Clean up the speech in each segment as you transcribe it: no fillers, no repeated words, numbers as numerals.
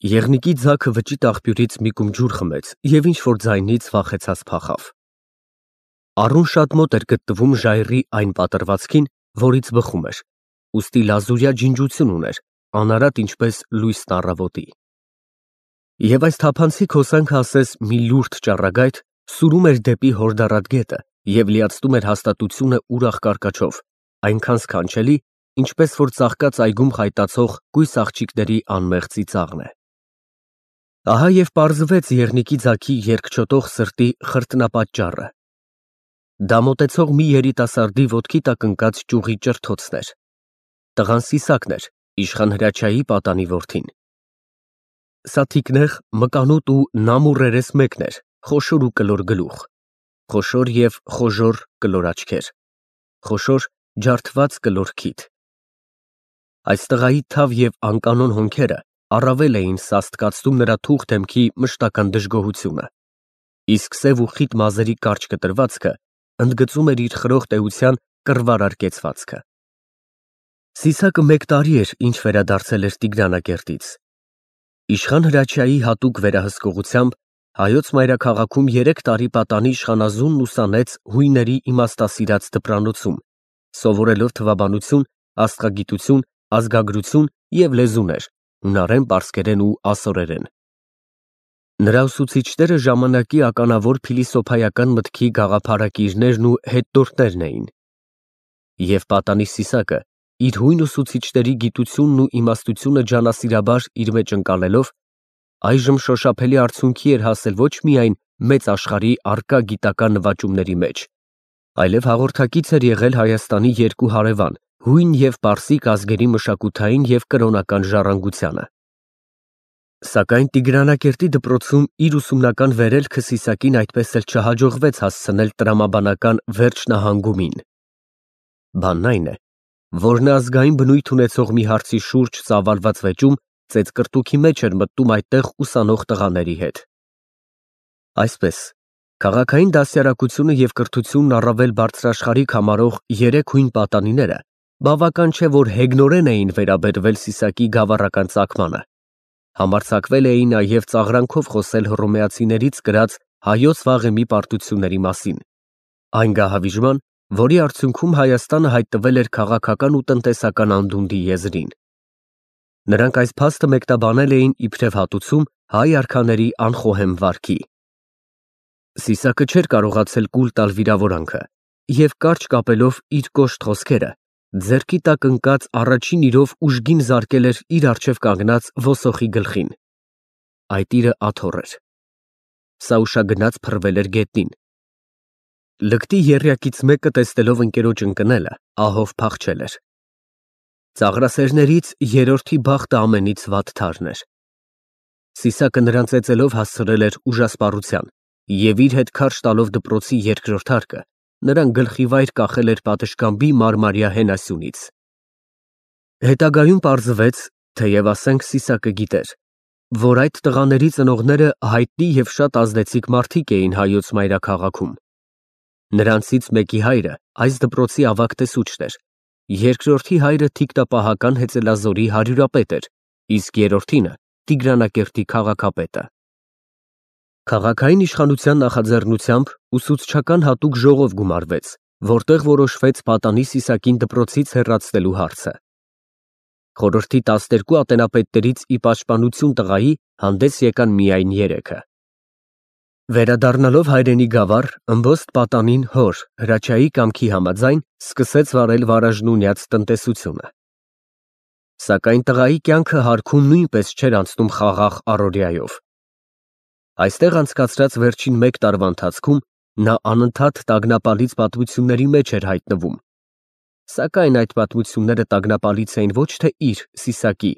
Եղնիկի ձագը վճիտ աղբյուրից մի կում ջուր խմեց և ինչ-որ ձայնից վախեցած փախավ։ Առուն շատ մոտ էր գտնվում ժայռի այն պատռվածքին, որից բխում էր, ուստի լազուրյա ջինջություն ուներ, անարատ ինչպես լույսն առավոտի։ Եվ այս թափանցիկ հոսանքը ասես մի լուրջ ճառագայթ սուրում էր դեպի հորդառատ գետը և լիացնում էր հաստատությունը ուրախ կարկաչով, այնքան սքանչելի, ինչպես որ ծաղկած այգում խայտացող կույս աղջիկների անմեղ ծիծաղն է։ Ահա և պարզվեց եղնիկի ձագի երկչոտող սրտի խրտնապատճառը։ Դա մոտեցող մի երիտասարդի ոտքի տակ ընկած ճյուղի ճրթոցն էր։ Տղան Սիսակն էր, իշխան Հրաչյայի պատանի որդին։ Սա թիկնեղ, մկանոտ ու նամուռ երես մեկն էր, խոշոր ու կլոր գլուխ, խոշոր և խոժոռ կլոր աչքեր, խոշոր ջարդված կլոր քիթ։ Այս տղայի թավ և անկանոն հոնքերը առավել էին սաստկացնում նրա թուխ դեմքի մշտական դժգոհությունը, իսկ սև ու խիտ մազերի կարճ կտրվածքը ընդգծում էր իր խրոխտ էության կռվարար կեցվածքը։ Սիսակը մեկ տարի էր, ինչ վերադարձել էր Տիգրանակերտից։ Իշխան Հրաչյայի հատուկ վերահսկողությամբ Հայոց մայրաքաղաքում 3 տարի պատանի իշխանազունն ուսանեց հույների իմաստասիրած դպրանոցում, սովորելով թվաբանություն, աստղագիտություն, ազգագրություն և լեզուներ՝ հունարեն, պարսկերեն ու ասորերեն։ Նրա ուսուցիչները ժամանակի ականավոր փիլիսոփայական մտքի գաղափարակիրներն ու հետնորդներն էին։ Եվ պատանի Սիսակը, իր հույն ուսուցիչների գիտությունն ու իմաստությունը ջանասիրաբար իր մեջ ընկալելով, այժմ շոշափելի արդյունքի էր հասել ոչ միայն մեծ աշխարհի առկա գիտական նվաճումների մեջ, այլև հաղորդակից էր եղել Հայաստանի երկու հարևան հույն և պարսիկ ազգերի մշակութային և կրոնական ժառանգությանը։ Սակայն Տիգրանակերտի դպրոցում իր ուսումնական վերելքը Սիսակին այդպես էլ չհաջողվեց հասցնել տրամաբանական վերջնահանգումին։ Բանն այն է, որ նա ազգային բնույթ ունեցող մի հարցի շուրջ ծավալված վեճում ծեծկռտուքի մեջ էր մտնում այդտեղ ուսանող տղաների հետ։ Այսպես, քաղաքային դաստիարակությունը և կրթությունն առավել բարձրաշխարհիկ համարող 3 հույն պատանիները բավական չէ, որ հեգնորեն էին վերաբերվել Սիսակի գավառական ծագմանը, համարձակվել էին նաև ծաղրանքով խոսել հռոմեացիներից կրած Հայոց վաղեմի պարտությունների մասին, այն գահավիժման, որի արդյունքում Հայաստանը հայտնվել էր քաղաքական ու տնտեսական անդունդի եզրին։ Նրանք այս փաստը մեկնաբանել էին իբրև հատուցում հայ արքաների անխոհեմ վարքի։ Սիսակը չէր կարողացել կուլ տալ վիրավորանքը և կարճ կապելով իր կոշտ խոսքերը, ձեռքի տակ ընկած առաջին իրով ուժգին զարկել էր իր առջև կանգնած ոսոխի գլխին։ Այդ իրը աթոռ էր։ Սա ուշագնաց փռվել էր գետնին։ Լկտի եռյակից մեկը տեսնելով ընկերոջ ընկնելը, ահով փախչել էր։ Ծաղրասերներից երրորդի բախտը ամենից վատթարն էր։ Սիսակը նրան ծեծելով հասցրել էր ուժասպառության և իր հետ քարշ տալով դպրոցի երկրորդ հարկը, նրան գլխիվայր կախել էր պատշգամբի մարմարյա հենասյունից։ Հետագայում պարզվեց, թեև ասենք Սիսակը գիտեր, որ այդ տղաների ծնողները հայտնի և շատ ազդեցիկ մարդիկ էին Հայոց մայրաքաղաքում։ Նրանցից մեկի հայրը այս դպրոցի ավագ տեսուչն էր, երկրորդի հայրը թիկնապահական հեծելազորի հարյուրապետ էր, իսկ երրորդինը Տիգրանակերտի քաղաքապետը։ Քաղաքային իշխանության նախաձեռնությամբ ուսուցչական հատուկ ժողով գումարվեց, որտեղ որոշվեց պատանի Սիսակին դպրոցից հեռացնելու հարցը։ Խորհրդի 12 ատենապետներից ի պաշտպանություն տղայի հանդես եկան միայն 3-ը։ Վերադառնալով հայրենի գավառ, ըմբոստ պատանին հոր Հրաչյայի կամքի համաձայն սկսեց վարել վարաժնունյաց տնտեսությունը։ Սակայն տղայի կյանքը հարքում նույնպես չէր անցնում խաղաղ առօրյայով։ Այստեղ անցկացրած վերջին 1 տարվա ընթացքում նա անընդհատ տագնապալից պատմությունների մեջ էր հայտնվում, սակայն այդ պատմությունները տագնապալից էին ոչ թե իր Սիսակի,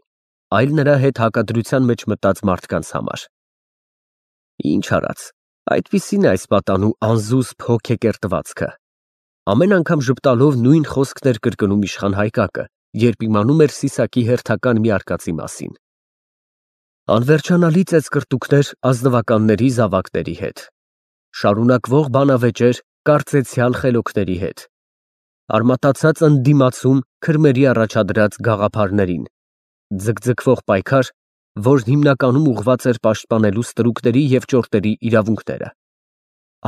այլ նրա հետ հակադրության մեջ մտած մարդկանց համար։ Ինչ արած, այդպիսին է այս պատանու անզուսպ հոգեկերտվածքը։ Ամեն անգամ ժպտալով նույն խոսքն էր կրկնում իշխան Հայկակը, երբ իմանում էր Սիսակի հերթական մի արկածի մասին։ Անվերջանալի ծեծկռտուքներ ազնվականների զավակների հետ, շարունակվող բանավեճեր կարծեցյալ խելոքների հետ, արմատացած ընդդիմացում քրմերի առաջադրած գաղափարներին, ձգձգվող պայքար որ հիմնականում ուղղված էր պաշտպանելու ստրուկների և ճորտերի իրավունքները։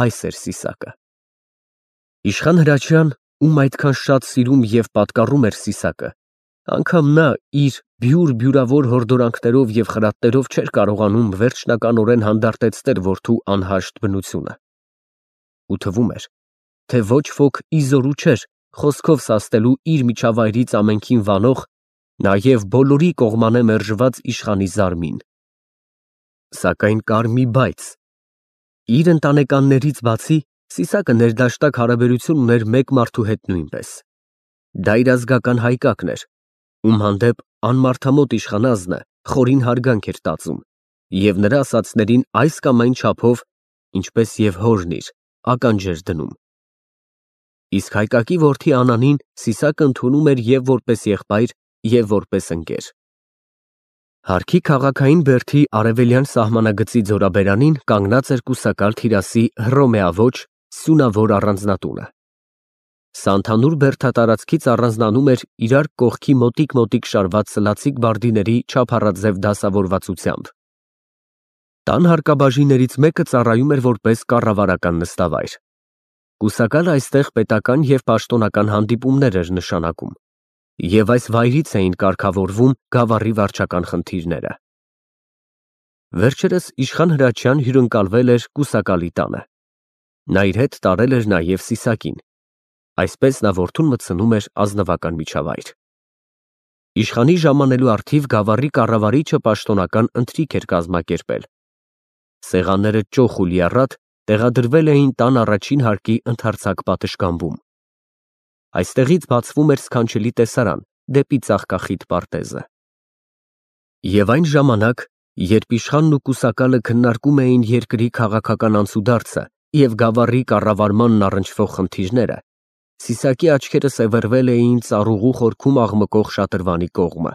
Այս էր Սիսակը։ Իշխան Հրաչյան, ում այդքան շատ սիրում և պատկառում էր Սիսակը, անգամ նա իր բյուրավոր հորդորանքներով և խրատներով չէր կարողանում վերջնականորեն հանդարտեցնել որդու անհաշտ բնությունը։ Ու թվում էր, թե ոչ ոք ի զորու չէր խոսքով սաստելու իր միջավայրից ամենքին վանող, նաև բոլորի կողմանե մերժված իշխանի զարմին։ Սակայն կար մի բայց. իր ընտանեկաններից բացի Սիսակը ներդաշնակ հարաբերություն ուներ մեկ մարդու հետ նույնպես։ Դա իր ազգական Հայկակն էր, ում հանդեպ անմարդամոտ իշխանազնը խորին հարգանք էր տածում և նրա ասածներին այս կամ այն չափով, ինչպես և հորն իր, ականջ էր դնում։ Իսկ Հայկակի որդի Անանին Սիսակը ընդունում էր և որպես եղբայր, և որպես ընկեր։ Հարքի քաղաքային բերդի արևելյան սահմանագծի ձորաբերանին կանգնած էր կուսակալ թիրասի հռոմեավոր, սյունավոր առանձնատունը։ Սա ընդհանուր բերդատարածքից առանձնանում էր իրար կողքի մոտիկ շարված սլացիկ բարդիների չափառաձև դասավորվածությամբ։ Տան հարկաբաժիններից մեկը ծառայում էր որպես կառավարական նստավայր։ Կուսակալը այստեղ պետական և պաշտոնական հանդիպումներ էր նշանակում, և այս վայրից էին կարգավորվում գավառի վարչական խնդիրները։ Վերջերս իշխան Հրաչյան հյուրընկալվել էր կուսակալի տանը։ Նա իր հետ տարել էր նաև Սիսակին, այսպես նա որդուն մտցնում էր ազնվական միջավայր։ Իշխանի ժամանելու առթիվ գավառի կառավարիչը պաշտոնական ընթրիք էր կազմակերպել։ Սեղանները ճոխ ու լիառատ տեղադրվել էին տան առաջին հարկի ընդարձակ պատշգամբում։ Այստեղից բացվում էր սքանչելի տեսարան դեպի ծաղկախիտ պարտեզը։ Եվ այն ժամանակ, երբ իշխանն ու կուսակալը քննարկում էին երկրի քաղաքական անցուդարձը և գավառի կառավարմանն առնչվող խնդիրները, Սիսակի աչքերը սևեռվել էին ծառուղու խորքում աղմկող շատրվանի կողմը։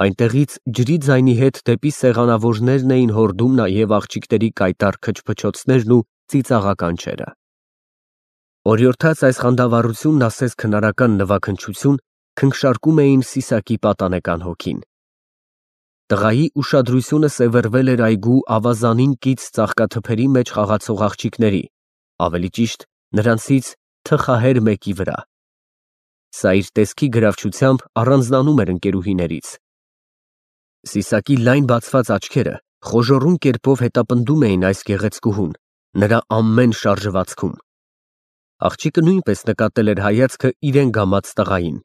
Այնտեղից ջրի ձայնի հետ դեպի սեղանավորներն էին հորդում նաև աղջիկների կայտառ քչփչոցներն ու ծիծաղականչերը։ Օրիորդաց այս խանդավառությունն ասես քնարական նվագընչություն քնքշարկում էին Սիսակի պատանեկան հոգին։ Տղայի ուշադրությունը սևեռվել էր այգու ավազանին կից ծաղկաթփերի մեջ խաղացող աղջիկների, ավելի ճիշտ նրանցից թխահեր մեկի վրա։ Սա իր տեսքի գրավչությամբ առանձնանում էր ընկերուհիներից։ Սիսակի լայն բացված աչքերը խոժոռուն կերպով հետապնդում էին այս գեղեցկուհուն, նրա ամեն շարժվածքում։ Աղջիկը նույնպես նկատել էր հայացքը իրեն գամած տղային։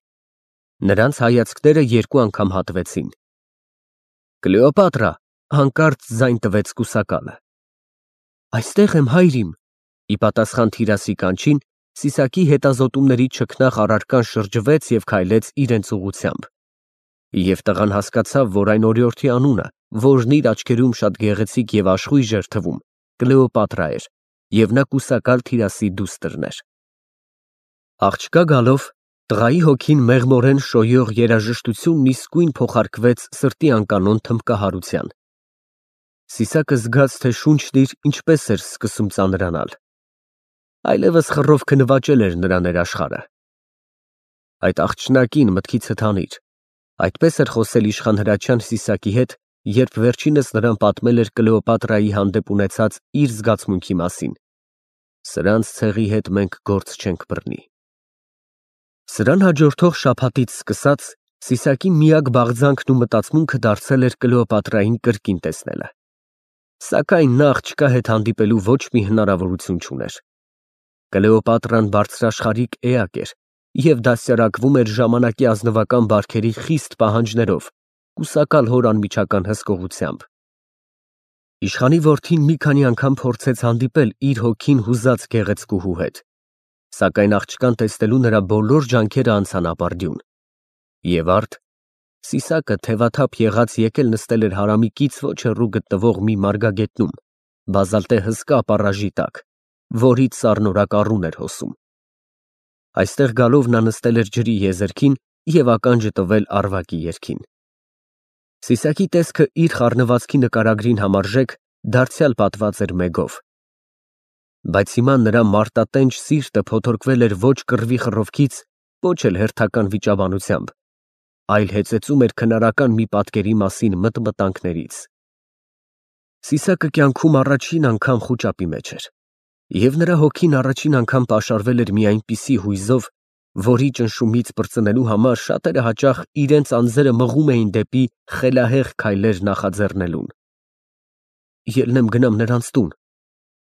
Նրանց հայացքները երկու անգամ հատվեցին։ Կլեոպատրա, հանկարծ ձայն տվեց կուսակալը։ Այստեղ եմ, հայրիմ։ Ի պատասխան թիրասի կանչին Սիսակի հետազոտումների չքնաղ առարկան շրջվեց և քայլեց իրենց ուղղությամբ։ Եվ տղան հասկացավ, որ այն օրիորդի անունը, որն իր աչքերում շատ գեղեցիկ և աշխույժ էր թվում, Կլեոպատրա էր, և նա կուսակալ թիրասի դուստրն էր։ Աղջկա գալով տղայի հոգին մեղմորեն շոյող երաժշտությունն իսկույն փոխարկվեց սրտի անկանոն թմբկահարության։ Սիսակը զգաց, թե շունչն իր ինչպես էր սկսում ծանրանալ։ Այլևս խռովքը նվաճել էր նրա ներաշխարհը։ Այդ աղջնակին մտքիցդ հանիր, այդպես էր խոսել իշխան Հրաչյան Սիսակի հետ, երբ վերջինս նրան պատմել էր Կլեոպատրայի հանդեպ ունեցած իր զգացմունքի մասին։ Սրանց ցեղի հետ մենք գործ չենք բռնի։ Սրան հաջորդող շաբաթից սկսած Սիսակի միակ բաղձանքն ու մտածմունքը դարձել էր Կլեոպատրային կրկին տեսնելը։ Սակայն նա աղջկա հետ հանդիպելու ոչ մի հնարավորություն չուներ։ Կլեոպատրան բարձրաշխարհիկ էակ էր և դաստիարակվում էր ժամանակի ազնվական բարքերի խիստ պահանջներով, կուսակալ հոր անմիջական հսկողությամբ։ Իշխանի որդին մի քանի անգամ փորձեց հանդիպել իր հոգին հուզած գեղեցկուհու հետ, սակայն աղջկան տեսնելու նրա բոլոր ջանքերը անցան ապարդյուն։ Եվ արդ Սիսակը թևաթափ եղած եկել նստել էր հարամիկից ոչ հեռու գտնվող մի մարգագետնում, բազալտե հսկա ապառաժի տակ, որից սառնորակ առուն էր հոսում։ Այստեղ գալով նա նստել էր ջրի եզերքին և ականջը տվել առվակի երգին։ Սիսակի տեսքը իր խառնվածքի նկարագրին համարժեք դարձյալ պատված էր մեգով։ Բայց հիմա նրա մարտատենչ սիրտը փոթորկվել էր ոչ կռվի խռովքից, ոչ էլ հերթական վիճաբանությամբ, այլ հեծեծում էր քնարական մի պատկերի մասին մտմտանքներից։ Սիսակը կյանքում առաջին անգամ խուճապի մեջ էր, և նրա հոգին առաջին անգամ պաշարվել էր մի այնպիսի հույզով, որի ճնշումից պրծնելու համար շատերը հաճախ իրենց անձերը մղում էին դեպի խելահեղ քայլեր նախաձեռնելուն։ Ելնեմ գնամ նրանց տուն,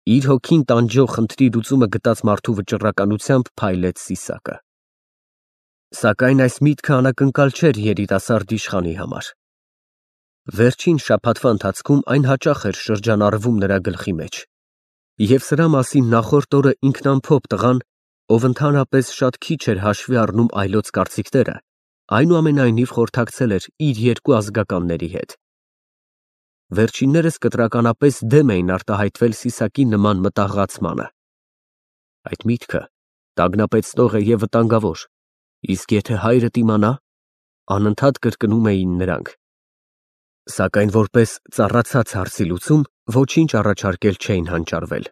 իր հոգին տանջող խնդրի լուծումը գտած մարդու վճռականությամբ փայլեց Սիսակը։ Սակայն այս միտքը անակնկալ չէր երիտասարդ իշխանի համար։ Վերջին շաբաթվա ընթացքում այն հաճախ էր շրջանառվում նրա գլխի մեջ, և սրա մասին նախորդ օրը ինքնամփոփ տղան, ով ընդհանրապես շատ քիչ էր հաշվի առնում այլոց կարծիքները, այնուամենայնիվ խորհրդակցել էր իր երկու ազգականների հետ։ Վերջիններս կտրականապես դեմ էին արտահայտվել Սիսակի նման մտահղացմանը։ Այդ միտքը տագնապեցնող է և վտանգավոր, իսկ եթե հայրդ իմանա, անընդհատ կրկնում էին նրանք։ Սակայն որպես ծառացած հարցի լուծում ոչինչ առաջարկել չէին հանճարվել։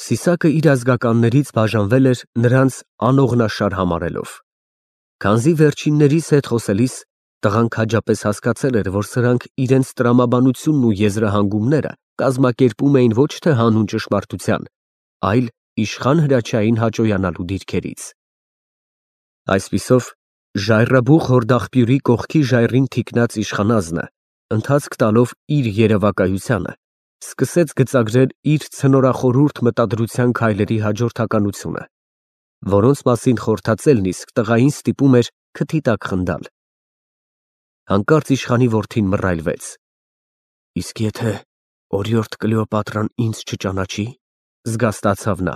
Սիսակը իր ազգականներից բաժանվել էր նրանց անողնաշար համարելով։ Քանզի վերջիններիս հետ խոսելիս տղան քաջապես հասկացել էր, որ սրանք իրենց տրամաբանությունն ու եզրահանգումները կազմակերպում էին ոչ թե հանուն ճշմարտության, այլ իշխան Հրաչյային հաճոյանալու դիրքերից։ Այսպիսով, ժայռաբուխ հորդախբյուրի կողքի ժայռին թիկնած իշխանազնը, ընթացք տալով իր երևակայությանը, սկսեց գծագրել իր ցնորախորհուրդ մտադրության քայլերի հաջորդականությունը, որոնց մասին խորհրդածելն իսկ տղային ստիպում էր քթի տակ խնդալ։ Հանկարծ իշխանի որդին մռայլվեց. Իսկ եթե օրիորդ Կլեոպատրան ինձ չճանաչի, զգաստացավ նա,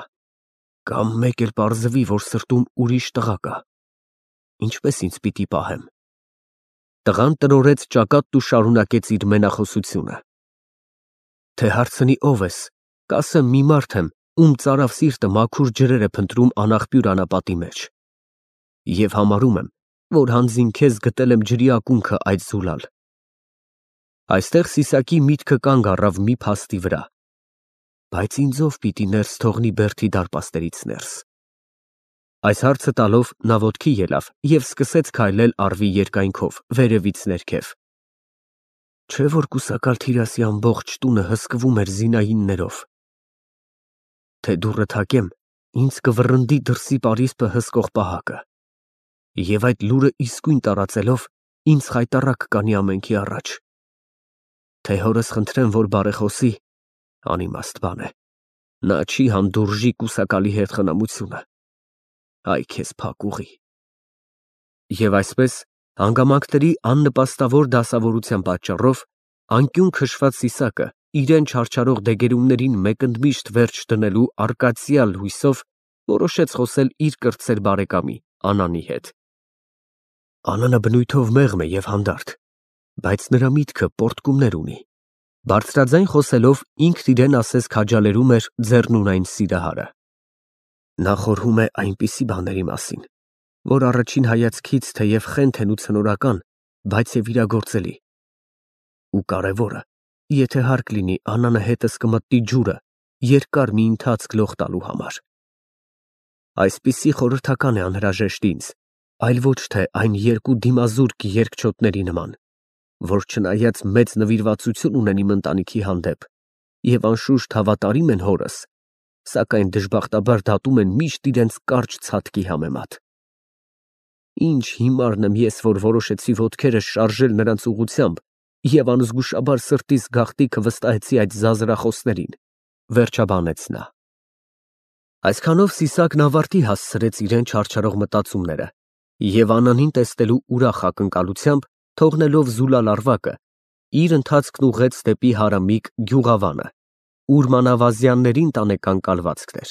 կամ մեկ էլ պարզվի, որ սրտում ուրիշ տղա կա, ինչպես ինձ պիտի պահեմ։ Տղան տրորեց ճակատն ու շարունակեց իր մենախոսությունը. Թե հարցնի ով ես, կասեմ մի մարդ եմ, ում ծարավ սիրտը մաքուր ջրեր է փնտրում անաղբյուր անապատի մեջ, և համարում եմ, որ հանձին քեզ գտել եմ ջրի ակունքը այդ զուլալ։ Այստեղ Սիսակի միտքը կանգ առավ մի փաստի վրա, բայց ինձ ով պիտի ներս թողնի Բերդի դարպասներից ներս։ Այս հարցը տալով նա ոտքի ելավ և սկսեց քայլել առվի երկայնքով, վերևից ներքև։ Չէ՞ որ կուսակալ Թիրասի ամբողջ տունը հսկվում էր զինայիններով։ Թե դուռը թակեմ, ինձ կվռնդի դրսի պարիսպը հսկող պահակը, և այդ լուրը իսկույն տարածելով ինձ խայտառակ կանի ամենքի առաջ։ Թե հորս խնդրեմ, որ բարեխոսի, անիմաստ բան է, նա չի հանդուրժի կուսակալի հետ խնամությունը։ Այ քեզ փակ ուղի։ Եվ այսպես, հանգամանքների աննպաստավոր դասավորության պատճառով, անկյուն քշված Սիսակը իրեն չարչարող դեգերումներին մեկընդմիշտ վերջ դնելու արկածյալ հույսով որոշեց խոսել իր կրտսեր բարեկամի Անանի հետ։ Անանը բնույթով մեղմ է և հանդարտ, բայց նրա միտքը պոռթկումներ ունի։ Բարձրաձայն խոսելով ինքն իրեն ասես քաջալերում էր ձեռնունայն սիրահարը։ Նա խորհում է այնպիսի բաների մասին, որ առաջին հայացքից թեև խենթ են ու ցնորական, բայց և իրագործելի։ Ու կարևորը, եթե հարկ լինի, Անանը հետս կմտնի ջուրը երկար մի ընթացք լող տալու համար։ Այսպիսի խորհրդական է անհրաժեշտ ինձ, այլ ոչ թե այն երկու դիմազուրկ երկչոտների նման, որ չնայած մեծ նվիրվածություն ունեն իմ ընտանիքի հանդեպ և անշուշտ հավատարիմ են հորս, սակայն դժբախտաբար դատում են միշտ իրենց կարճ ցատկի համեմատ։ Ինչ հիմարն եմ ես, որ որոշեցի ոտքերս շարժել նրանց ուղղությամբ և անզգուշաբար սրտիս գաղտնիքը վստահեցի այդ զազրախոսներին, վերջաբանեց նա։ Այսքանով Սիսակն ավարտի հասցրեց իրեն չարչարող մտածումները և Անանին տեսնելու ուրախ ակնկալությամբ, թողնելով զուլալ առվակը, իր ընթացքն ուղղեց դեպի հարամիկ Գյուղավանը, ուր մանավազյաններին տանեկան կալվածքն էր։